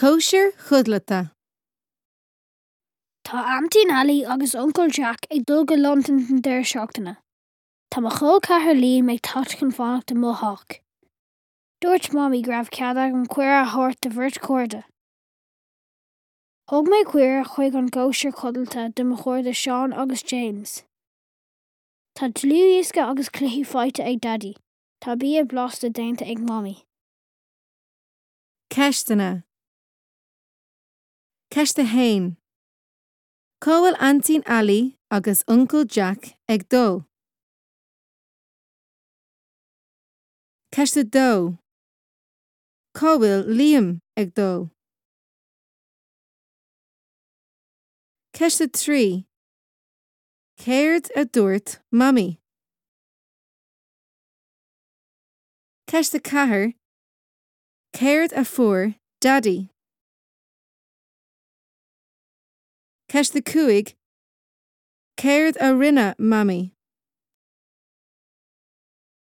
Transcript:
Cóisir chodlata. Tá Aintín Ali agus Uncail Jack ag dul go Londain don deireadh seachtaine. Tá mo chol ceathar Liam ag teacht chun fanacht i mo theach. Dúirt Mamaí go raibh cead agam cuireadh a thabhairt do bheirt chairde. Thug mé cuireadh chuig an gcóisir chodlata do mo chairde Seán agus James. Tá dlúthdhiosca agus cluichí faighte ag Daidí. Tá bia blasta déanta ag Mamaí. Ceisteanna. Ceist 1. Cá bhfuil Aintín Ali agus Uncail Jack ag dul? Ceist 2. Cá bhfuil Liam ag dul? Ceist 3. Céard a dúirt Mamaí? Ceist 4. Céard a fuair Daidí? Ceist 5. Céard a rinne Mamaí?